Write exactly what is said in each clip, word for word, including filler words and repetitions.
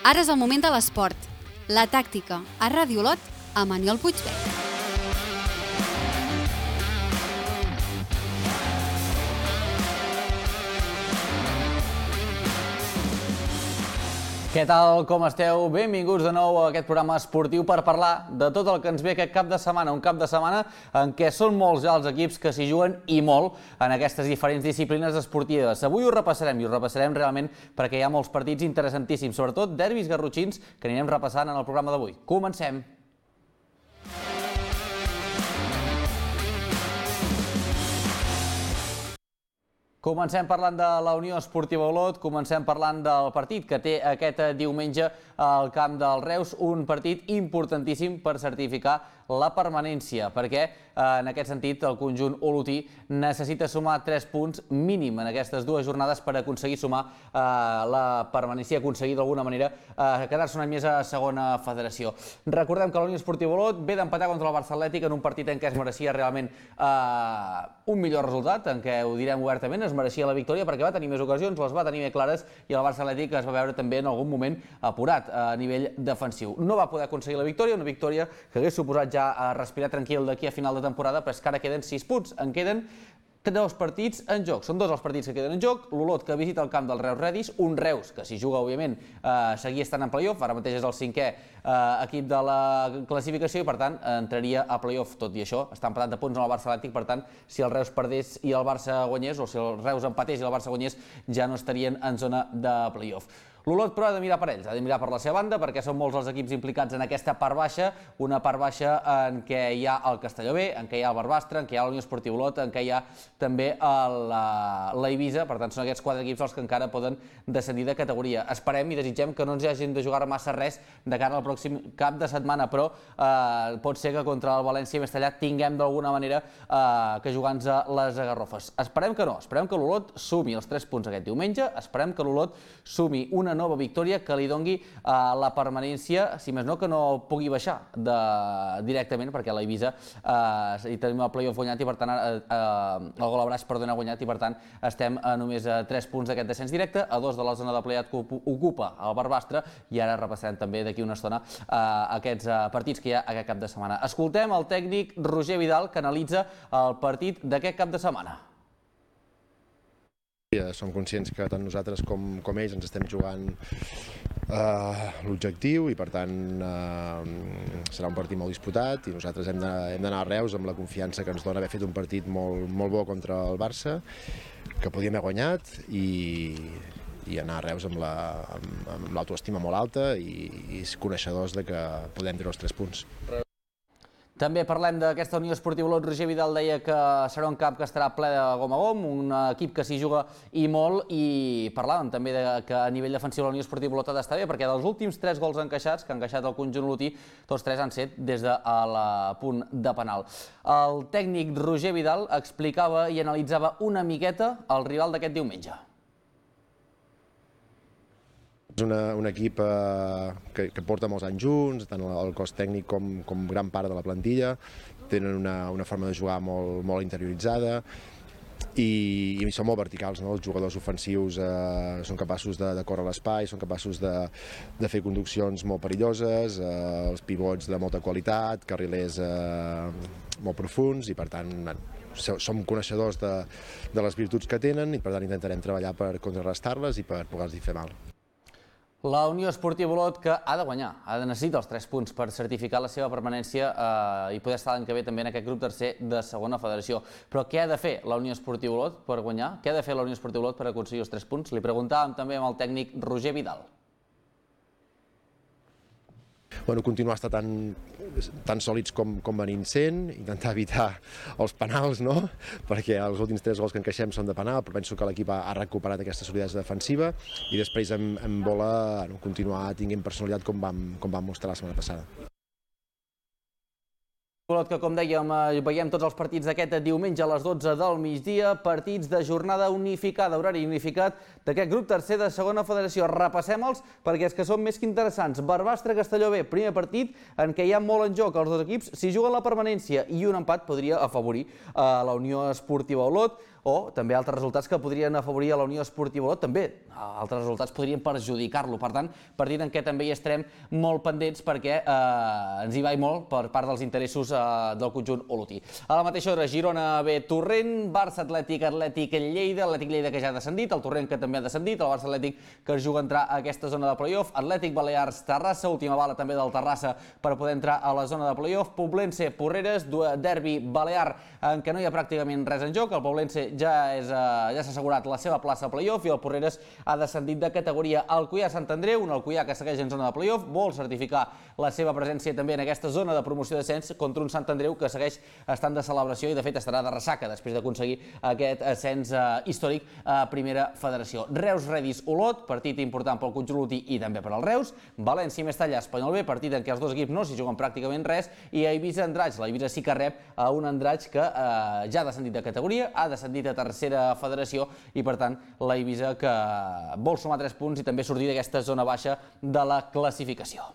Ara és el moment de l'esport. La tàctica a Ràdio Olot amb Aniol Puigvert. Què tal, com esteu? Benvinguts de nou a aquest programa esportiu per parlar de tot el que ens ve aquest cap de setmana. Un cap de setmana en què són molts ja els equips que s'hi juguen i molt en aquestes diferents disciplines esportives. Avui ho repassarem i ho repassarem realment perquè hi ha molts partits interessantíssims, sobretot derbis garrotxins que anirem repassant en el programa d'avui. Comencem! Comencem parlant de la Unió Esportiva Olot, comencem parlant del partit que té aquest diumenge al camp del Reus, un partit importantíssim per certificar la permanència, perquè en aquest sentit el conjunt olotí necessita sumar tres punts mínim en aquestes dues jornades per aconseguir sumar la permanència, aconseguir d'alguna manera quedar-se un any més a segona federació. Recordem que la Unió Esportiva Olot ve d'empatar contra el Barça Atlètic en un partit en què es mereixia realment un millor resultat, en què ho direm obertament, es mereixia la victòria perquè va tenir més ocasions, les va tenir més clares i el Barça Atlètic es va veure també en algun moment apurat a nivell defensiu. No va poder aconseguir la victòria, una victòria que hagués suposat ja a respirar tranquil d'aquí a final de temporada, però és que ara queden sis punts, en queden dos partits en joc. Són dos els partits que queden en joc, l'Olot que visita el camp del Reus Redis, un Reus que s'hi juga, òbviament, seguia estant en playoff, ara mateix és el cinquè equip de la classificació i per tant entraria a playoff. Tot i això, està empatat de punts amb el Barça Atlètic, per tant, si el Reus perdés i el Barça guanyés, o si el Reus empatés i el Barça guanyés, ja no estarien en zona de playoff. L'Olot, però, ha de mirar per ells, ha de mirar per la seva banda, perquè són molts els equips implicats en aquesta part baixa, una part baixa en què hi ha el Castelló B, en què hi ha el Barbastre, en què hi ha la Unió Esportiva Olot, en què hi ha també l'Eivissa, per tant, són aquests quatre equips els que encara poden descendir de categoria. Esperem i desitgem que no ens hagin de jugar massa res de cara al pròxim cap de setmana, però pot ser que contra el València més tallat tinguem d'alguna manera que jugar-nos a les agarrofes. Esperem que no, esperem que l'Olot sumi els tres punts aquest diumenge, esperem que l'Olot sumi una nova victòria que li dongui la permanència, si més no, que no pugui baixar directament, perquè l'Eivissa hi tenim el playoff guanyat i per tant el gol a braç, perdona, guanyat i per tant estem només a tres punts d'aquest descens directe, a dos de la zona de play-out que ocupa el Barbastre i ara repassarem també d'aquí una estona aquests partits que hi ha aquest cap de setmana. Escoltem el tècnic Roger Vidal que analitza el partit d'aquest cap de setmana. Som conscients que tant nosaltres com, com ells ens estem jugant uh, l'objectiu i per tant uh, serà un partit molt disputat i nosaltres hem d'anar a Reus amb la confiança que ens dona haver fet un partit molt, molt bo contra el Barça, que podíem haver guanyat i, i anar a Reus amb l'autoestima molt alta i, i coneixedors de que podem treure els tres punts. També parlem d'aquesta Unió Esportiva Olot. Roger Vidal deia que serà un camp que estarà ple de gom a gom, un equip que s'hi juga i molt, i parlàvem també que a nivell defensiu la Unió Esportiva Olot ha d'estar bé, perquè dels últims tres gols encaixats que han encaixat el conjunt olotí, tots tres han set des del punt de penal. El tècnic Roger Vidal explicava i analitzava una miqueta el rival d'aquest diumenge. És una, un equip eh, que, que porta molts anys junts, tant el cos tècnic com, com gran part de la plantilla, tenen una, una forma de jugar molt, molt interioritzada i, i són molt verticals, no? Els jugadors ofensius eh, són capaços de, de córrer l'espai, són capaços de, de fer conduccions molt perilloses, eh, els pivots de molta qualitat, carrilers eh, molt profuns i per tant som coneixedors de, de les virtuts que tenen i per tant intentarem treballar per contrarrestar-les i per poder-los fer mal. La Unió Esportiva Olot que ha de guanyar, ha de necessitar els tres punts per certificar la seva permanència i poder estar l'any que ve també en aquest grup tercer de segona federació. Però què ha de fer la Unió Esportiva Olot per guanyar? Què ha de fer la Unió Esportiva Olot per aconseguir els tres punts? Li preguntàvem també amb el tècnic Roger Vidal. Bueno, continuar a estar tan, tan sòlids com, com venim sent, intentar evitar els penals, no? Perquè els últims tres gols que encaixem són de penal, però penso que l'equip ha, ha recuperat aquesta solidesa defensiva i després em, em vola no, continuar tinguent personalitat com vam, com vam mostrar la setmana passada. Olot que, com dèiem, veiem tots els partits d'aquest diumenge a les dotze del migdia, partits de jornada unificada, horari unificat d'aquest grup tercer de segona federació. Repassem-los perquè és que són més que interessants. Barbastre-Castelló B, primer partit en què hi ha molt en joc. Els dos equips s'hi juguen la permanència i un empat podria afavorir a la Unió Esportiva Olot. o també altres resultats que podrien afavorir a la Unió Esportiva Olot, també altres resultats podrien perjudicar-lo. Per tant, partit en què també hi estarem molt pendents perquè eh, ens hi va molt per part dels interessos eh, del conjunt olotí. A la mateixa hora, Girona B, Torrent, Barça Atlètic, Atlètic Lleida, Atlètic Lleida que ja ha descendit, el Torrent que també ha descendit, el Barça Atlètic que es juga a entrar a aquesta zona de playoff, Atlètic Balears, Terrassa, última bala també del Terrassa per poder entrar a la zona de playoff, Poblense, Porreres, derbi balear en què no hi ha pràcticament res en joc, el Poblense ja és, eh, ja s'ha assegurat la seva plaça a playoff i el Porreres ha descendit de categoria. Alcoià Sant Andreu, un Alcoià que segueix en zona de playoff, vol certificar la seva presència també en aquesta zona de promoció d'ascens contra un Sant Andreu que segueix estant de celebració i de fet estarà de ressaca després d'aconseguir aquest ascens eh, històric a Primera Federació. Reus Redis Olot, partit important pel conjunt olotí i també per al Reus. València i Mestalla Espanyol B, partit en què els dos equips no s'hi juguen pràcticament res, i a Eivissa Andratx. La Eivissa sí que rep a un Andratx que eh, ja ha descendit de categoria, ha descendit a Tercera Federació i per tant la Eivissa que vol sumar tres punts i també sortir d'aquesta zona baixa de la classificació.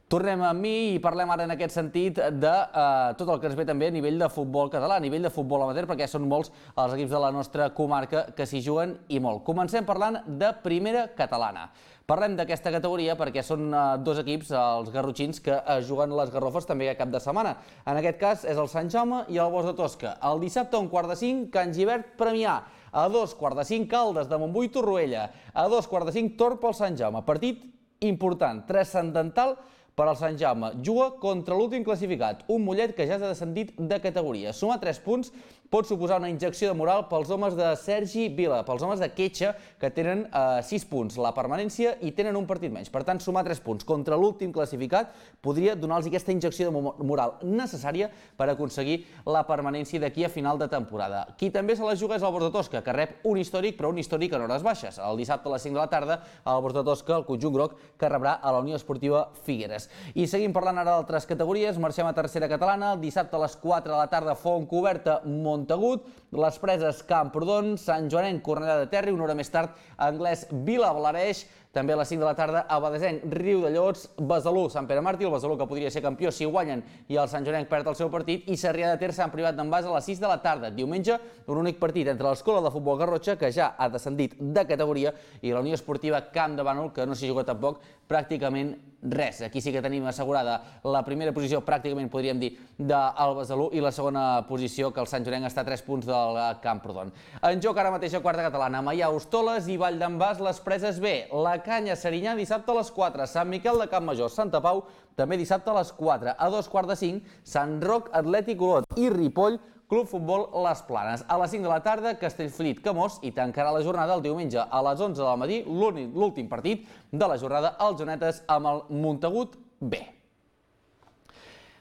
Tornem a mi i parlem ara en aquest sentit de eh, tot el que ens ve també a nivell de futbol català, a nivell de futbol amateur, perquè són molts els equips de la nostra comarca que s'hi juguen i molt. Comencem parlant de Primera Catalana. Parlem d'aquesta categoria perquè són eh, dos equips, els garrotxins, que eh, juguen les Garrofes també cap de setmana. En aquest cas és el Sant Jaume i el Bosch de Tosca. El dissabte a un quart de cinc, Can Givert Premià. A dos quart de cinc, Caldes de Montbui Torroella. A dos quart de cinc, Tor pel Sant Jaume. Partit important, transcendental per al Sant Jaume. Juga contra l'últim classificat, un Mollet que ja s'ha descendit de categoria. Sumar tres punts pot suposar una injecció de moral pels homes de Sergi Vila, pels homes de Quetxa, que tenen eh, sis punts, la permanència, i tenen un partit menys. Per tant, sumar tres punts contra l'últim classificat podria donar-los aquesta injecció de moral necessària per aconseguir la permanència d'aquí a final de temporada. Qui també se la juga és el Bosch de Tosca, que rep un històric, però un històric en hores baixes. El dissabte a les cinc de la tarda, el Bosch de Tosca, el conjunt groc, que rebrà a la Unió Esportiva Figueres. I seguim parlant ara d'altres categories, marxem a Tercera Catalana, el dissabte a les quatre de la tarda, Fontcoberta, Montagut, les Preses, Camprodon, Sant Joanenc, Cornellà de Terri, una hora més tard, Anglès, Vilablareix, també a les cinc de la tarda, Abadesenc, Riu de Llots, Besalú, Sant Pere Màrtir, el Besalú que podria ser campió si guanyen i el Sant Joanenc perd el seu partit, i Sarrià de Ter, Sant Privat d'en Bas a les sis de la tarda. Diumenge, un únic partit entre l'Escola de Futbol Garrotxa, que ja ha descendit de categoria, i la Unió Esportiva Camp de Bànol, que no s'hi juga tampoc pràcticament res. Aquí sí que tenim assegurada la primera posició, pràcticament podríem dir, del Besalú, i la segona posició, que el Sant Joanenc està a tres punts del Camprodon. En joc ara mateix a quarta catalana, Maià, Hostoles i Vall d'en Bas, les Preses B. La Canya, Serinyà, dissabte a les quatre. Sant Miquel de Campmajor, Santa Pau, també dissabte a les quatre. A dos quarts de cinc, Sant Roc, Atlètic Olot i Ripoll, Club Futbol Les Planes. A les cinc de la tarda, Castellfollit, Camós, i tancarà la jornada el diumenge a les onze del matí, l'últim partit de la jornada, els Jonetes amb el Montagut B.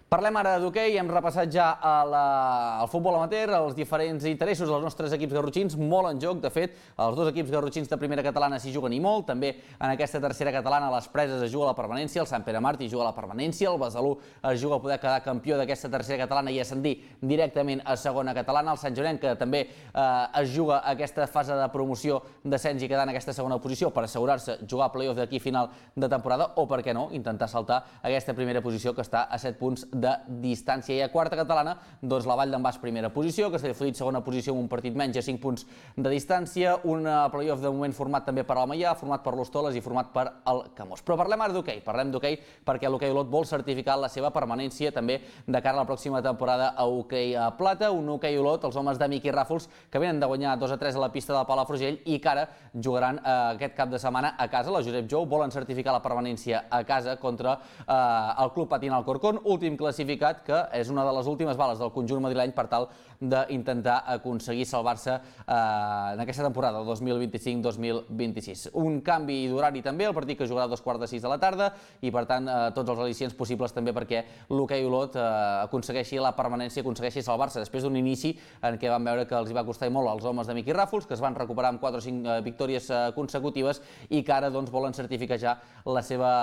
Parlem ara d'hoquei, hem repassat ja el futbol amateur, els diferents interessos dels nostres equips garrotxins, molt en joc. De fet, els dos equips garrotxins de Primera Catalana s'hi juguen i molt. També en aquesta Tercera Catalana les Preses es juga la permanència, el Sant Pere Màrtir juga la permanència, el Besalú es juga a poder quedar campió d'aquesta Tercera Catalana i ascendir directament a Segona Catalana. El Sant Joanenc, que també es juga aquesta fase de promoció d'ascens i quedar en aquesta segona posició per assegurar-se jugar a playoff d'aquí final de temporada, o per què no, intentar saltar aquesta primera posició que està a set punts de distància. I a quarta catalana, doncs la Vall d'en Bas primera posició, Castellfollit segona posició amb un partit menys a cinc punts de distància, un playoff de moment format també per al Maià, format per l'Hostoles i format per el Camós. Però parlem ara d'hoquei, parlem d'hoquei perquè l'Hoquei Olot vol certificar la seva permanència també de cara a la pròxima temporada a hoquei a plata, un Hoquei Olot, els homes de Miqui Ràfols, que venen de guanyar dos a tres a la pista de Palafrugell i que ara jugaran eh, aquest cap de setmana a casa. La Josep Jou volen certificar la permanència a casa contra eh, el Club Patín Alcorcón, últim classificat, que és una de les últimes bales del conjunt madrileny per tal d'intentar aconseguir salvar-se eh, en aquesta temporada dos mil vint-i-cinc dos mil vint-i-sis. Un canvi d'horari també, el partit que jugarà a dos quarts de sis de la tarda, i per tant eh, tots els al·licients possibles també perquè l'Hoquei Olot eh, aconsegueixi la permanència, aconsegueixi salvar-se després d'un inici en què van veure que els hi va costar molt als homes de Miqui Ràfols, que es van recuperar amb quatre o cinc eh, victòries eh, consecutives i que ara doncs, volen certificar ja la seva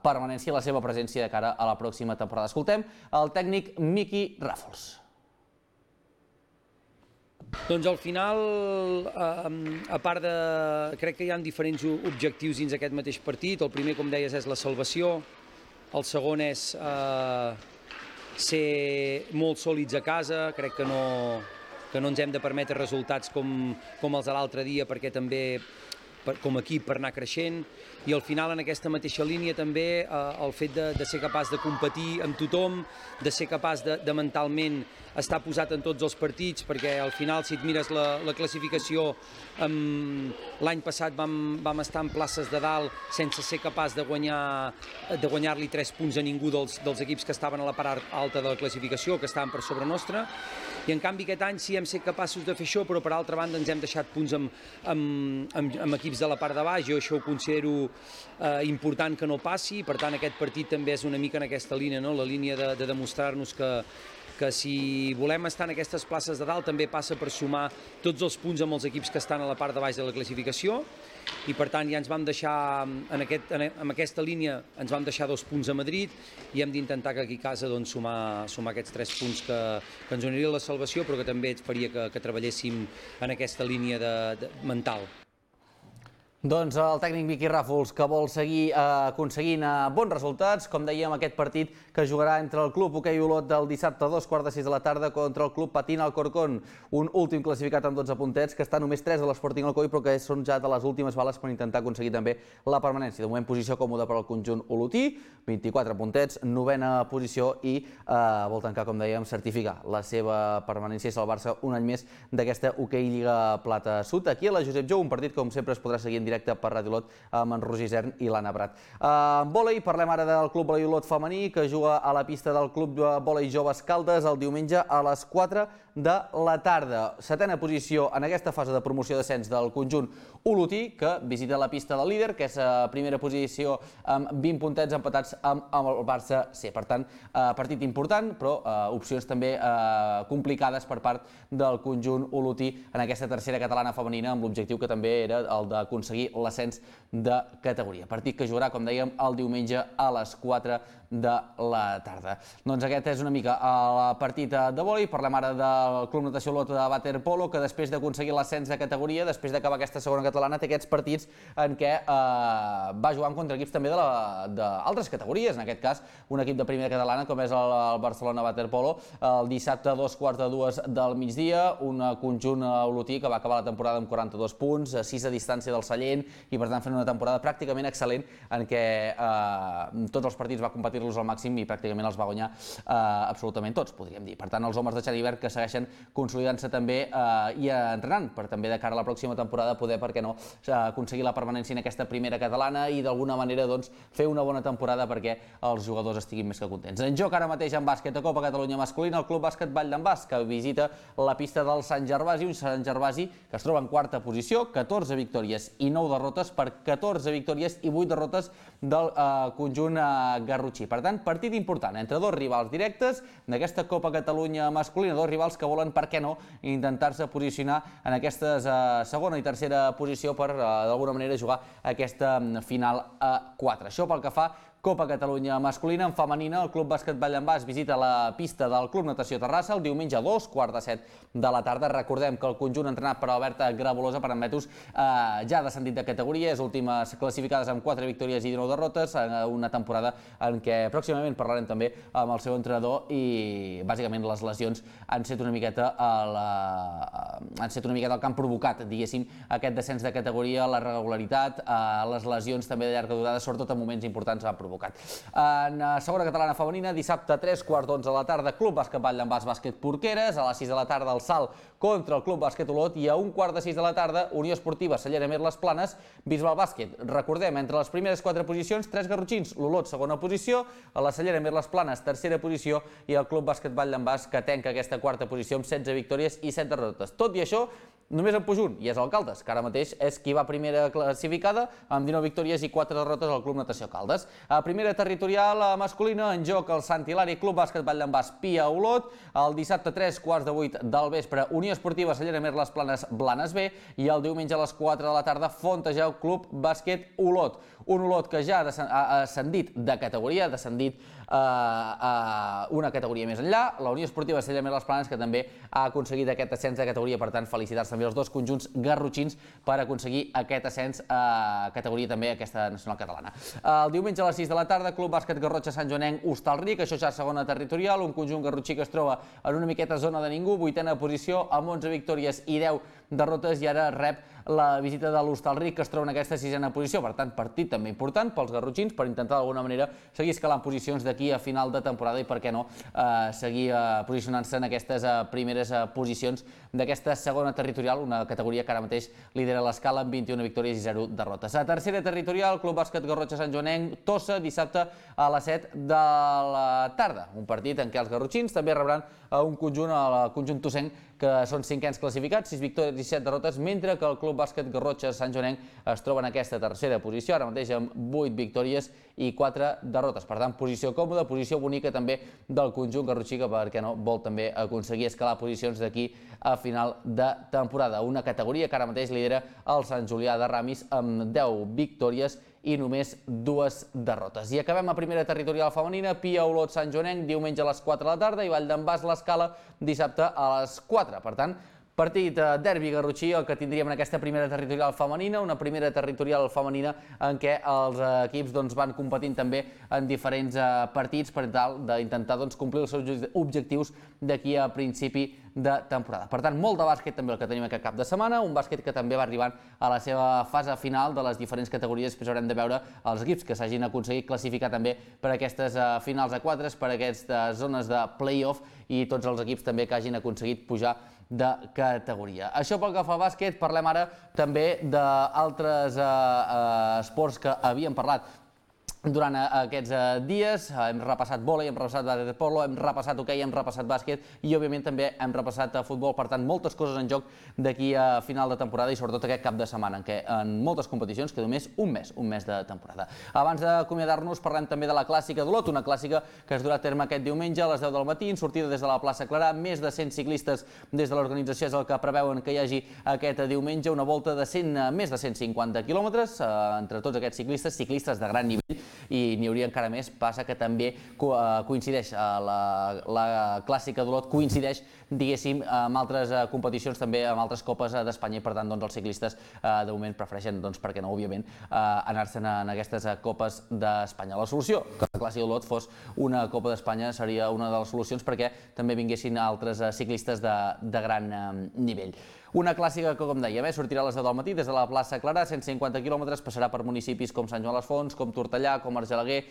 permanència, la seva presència de cara a la pròxima temporada. Escoltem el tècnic Miqui Ràfols. Doncs al final, a part de... crec que hi ha diferents objectius dins aquest mateix partit. El primer, com deies, és la salvació. El segon és eh, ser molt sòlids a casa. Crec que no, que no ens hem de permetre resultats com, com els de l'altre dia, perquè també com a equip per anar creixent, i al final en aquesta mateixa línia també eh, el fet de, de ser capaç de competir amb tothom, de ser capaç de, de mentalment estar posat en tots els partits, perquè al final si et mires la, la classificació, l'any passat vam, vam estar en places de dalt sense ser capaç de guanyar de guanyar-li tres punts a ningú dels, dels equips que estaven a la part alta de la classificació, que estaven per sobre nostra, i en canvi aquest any sí hem set capaços de fer això, però per altra banda ens hem deixat punts amb, amb, amb, amb equips de la part de baix. Jo això ho considero eh, important que no passi, per tant aquest partit també és una mica en aquesta línia, no? La línia de, de demostrar-nos que, que si volem estar en aquestes places de dalt també passa per sumar tots els punts amb els equips que estan a la part de baix de la classificació, i per tant ja ens vam deixar, en, aquest, en, en aquesta línia ens vam deixar dos punts a Madrid i hem d'intentar que aquí a casa doncs, sumar, sumar aquests tres punts que, que ens donaria la salvació, però que també ens faria que, que treballéssim en aquesta línia de, de, mental. Doncs el tècnic Miqui Ràfols, que vol seguir eh, aconseguint eh, bons resultats, com dèiem, aquest partit que jugarà entre el Club Hoquei Olot del dissabte a dos quarts de sis de la tarda contra el Club Patín Alcorcón, un últim classificat amb dotze puntets, que està només tres de l'Sporting Alcoi, però que són ja de les últimes bales per intentar aconseguir també la permanència. De moment, posició còmoda per al conjunt olotí, vint-i-quatre puntets, novena posició, i eh, vol tancar, com dèiem, certificar la seva permanència i salvar-se un any més d'aquesta Hoquei Lliga Plata Sud. Aquí a la Josep Jou, un partit que com sempre es podrà seguir en directe per Ràdio Olot amb en Roger Isern i l'Anna Prat. En vòlei, parlem ara del Club Vòlei Olot femení, que juga a la pista del Club Vòlei Joves Caldes el diumenge a les quatre de la tarda. Setena posició en aquesta fase de promoció d'ascens del conjunt olotí, que visita la pista del líder, que és a primera posició amb vint puntets empatats amb el Barça C. Per tant, partit important, però opcions també complicades per part del conjunt olotí en aquesta tercera catalana femenina, amb l'objectiu que també era el d'aconseguir l'ascens de categoria. Partit que jugarà, com dèiem, el diumenge a les quatre de la tarda. Doncs aquest és una mica el partit de vòlei. Parlem ara del Club Natació Olot de waterpolo, que després d'aconseguir l'ascens de categoria, després d'acabar aquesta segona catalana, té aquests partits en què eh, va jugant contra equips també d'altres categories. En aquest cas, un equip de primera catalana, com és el, el Barcelona Waterpolo, el dissabte a dos quarts de dues del migdia, un conjunt olotí que va acabar la temporada amb quaranta-dos punts, sis a distància del Sallent, i per tant fent una temporada pràcticament excel·lent en què eh, tots els partits va competir-los al màxim i pràcticament els va guanyar eh, absolutament tots, podríem dir. Per tant, els homes de Xavi Verd que segueixen consolidant-se també eh, i entrenant per també de cara a la pròxima temporada poder, per què no, aconseguir la permanència en aquesta primera catalana i d'alguna manera doncs, fer una bona temporada perquè els jugadors estiguin més que contents. En joc ara mateix en bàsquet a Copa Catalunya masculina, el Club Bàsquet Vall d'en Bas, que visita la pista del Sant Gervasi, un Sant Gervasi que es troba en quarta posició, catorze victòries i nou derrotes per catorze victòries i vuit derrotes del eh, conjunt eh, garrotxí. Per tant, partit important entre dos rivals directes d'aquesta Copa Catalunya masculina, dos rivals que volen, per què no, intentar-se posicionar en aquestes eh, segona i tercera posició per, eh, d'alguna manera, jugar aquesta final a quatre. Això pel que fa Copa Catalunya masculina. En femenina, el Club Bàsquet Vall d'en Bas visita la pista del Club Natació Terrassa el diumenge a dos quarts de set de la tarda. Recordem que el conjunt entrenat per Alberta Grabolosa, per admetos, eh, ja ha descendit de categoria, és últimes classificades amb quatre victòries i dinou derrotes, en una temporada en què pròximament parlarem també amb el seu entrenador i bàsicament les lesions han set una miqueta el, eh, han set una miqueta el que han provocat, diguéssim, aquest descens de categoria, la regularitat, eh, les lesions també de llarga durada, sobretot en moments importants, han provocat. En segona catalana femenina, dissabte a tres quarts d'onze de la tarda, Club Bàsquet Vall d'en Bas Bàsquet Porqueres, a les sis de la tarda el salt contra el Club Bàsquet Olot i a un quart de sis de la tarda Unió Esportiva Cellera Mer Les Planes, Bisbal Bàsquet. Recordem, entre les primeres quatre posicions, tres garrotxins, l'Olot segona posició, a la Cellera Mer Les Planes tercera posició i el Club Bàsquet Vall d'en Bas que tenca aquesta quarta posició amb setze victòries i set derrotes. Tot i això, només en puja un, i és el Caldes, que ara mateix és qui va primera classificada amb dinou victòries i quatre derrotes al Club Natació Caldes. A primera territorial masculina, en joc el Sant Hilari Club Bàsquet Vall d'en Bas Pia Olot, el dissabte a tres quarts de vuit del vespre Unió Esportiva Cellera Mer Les Planes Blanes B i el diumenge a les quatre de la tarda Fontejau Club Bàsquet Olot. Un Olot que ja ha ascendit de categoria, ha descendit una categoria més enllà. La Unió Esportiva Cella Més les Planes, que també ha aconseguit aquest ascens de categoria, per tant, felicitats també als dos conjunts garrotxins per aconseguir aquest ascens a categoria també aquesta nacional catalana. El diumenge a les sis de la tarda, Club Bàsquet Garrotxa Sant Joanenc Hostalric, això ja segona territorial, un conjunt garrotxí que es troba en una miqueta zona de ningú, vuitena posició, amb onze victòries i deu derrotes, i ara rep la visita de l'Hostalric, que es troba en aquesta sisena posició. Per tant, partit també important pels garrotxins per intentar d'alguna manera seguir escalant posicions d'aquí a final de temporada i, per què no, seguir posicionant-se en aquestes primeres posicions d'aquesta segona territorial, una categoria que ara mateix lidera l'escala amb vint-i-una victòries i zero derrotes. A tercera territorial, Club Bàsquet Garrotxa Sant Joanenc Tossa, dissabte a les set de la tarda. Un partit en què els garrotxins també rebran un conjunt, el conjunt tossenc, que són cinquens classificats, sis victòries i set derrotes, mentre que el Club Bàsquet Garrotxa Sant Joanenc es troba en aquesta tercera posició, ara mateix amb vuit victòries i quatre derrotes. Per tant, posició còmoda, posició bonica també del conjunt garrotxí, que, per què no, vol també aconseguir escalar posicions d'aquí a final de temporada. Una categoria que ara mateix lidera el Sant Julià de Ramis amb deu victòries i només dues derrotes. I acabem a primera territorial femenina, Pia Olot Sant Joanenc, diumenge a les quatre de la tarda, i Vall d'en Bas l'Escala dissabte a les quatre. Per tant, partit derbi garrotxí, el que tindríem en aquesta primera territorial femenina, una primera territorial femenina en què els equips van competint també en diferents partits per tal d'intentar complir els seus objectius d'aquí a principi de temporada. Per tant, molt de bàsquet també el que tenim aquest cap de setmana, un bàsquet que també va arribant a la seva fase final de les diferents categories. Després haurem de veure els equips que s'hagin aconseguit classificar també per aquestes finals a quatre, per aquestes zones de play-off, i tots els equips també que hagin aconseguit pujar de categoria. Això pel que fa a bàsquet. Parlem ara també d'altres esports que havíem parlat durant aquests dies. Hem repassat vòlei, hem repassat waterpolo, hem repassat hoquei, hem repassat bàsquet i, òbviament, també hem repassat futbol. Per tant, moltes coses en joc d'aquí a final de temporada i, sobretot, aquest cap de setmana, en què en moltes competicions queda només un mes, un mes de temporada. Abans d'acomiadar-nos, parlem també de la Clàssica d'Olot, una clàssica que es durà a terme aquest diumenge a les deu del matí, en sortida des de la plaça Clarà. Més de cent ciclistes des de l'organització és el que preveuen que hi hagi aquest diumenge, una volta de més de cent cinquanta quilòmetres entre tots aquests ciclistes, ciclistes de gran nivell, i n'hi hauria encara més. Passa que també coincideix, la Clàssica d'Olot coincideix, diguéssim, amb altres competicions, també amb altres copes d'Espanya, i per tant els ciclistes de moment prefereixen, per què no, òbviament, anar-se'n en aquestes copes d'Espanya. La solució, que la Clàssica d'Olot fos una copa d'Espanya, seria una de les solucions perquè també vinguessin altres ciclistes de gran nivell. Una clàssica que, com dèiem, sortirà a les deu del matí des de la plaça Clarà, cent cinquanta quilòmetres, passarà per municipis com Sant Joan les Fonts, com Tortellà, com Argelaguer,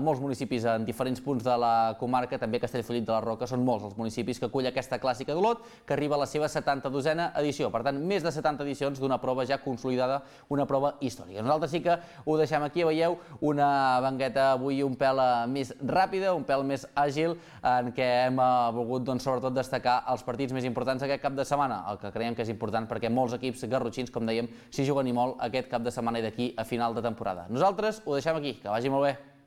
molts municipis en diferents punts de la comarca, també Castellfollit de la Roca. Són molts els municipis que acull aquesta Clàssica d'Olot, que arriba a la seva setanta-dosena edició. Per tant, més de setanta edicions d'una prova ja consolidada, una prova històrica. Nosaltres sí que ho deixem aquí. Veieu una banqueta avui un pèl més ràpida, un pèl més àgil, en què hem volgut, sobretot, destacar els partits més importants aquest cap de setmana, el que creiem que és important perquè molts equips garrotxins, com dèiem, s'hi juguen i molt aquest cap de setmana i d'aquí a final de temporada. Nosaltres ho deixem aquí. Que vagi molt bé.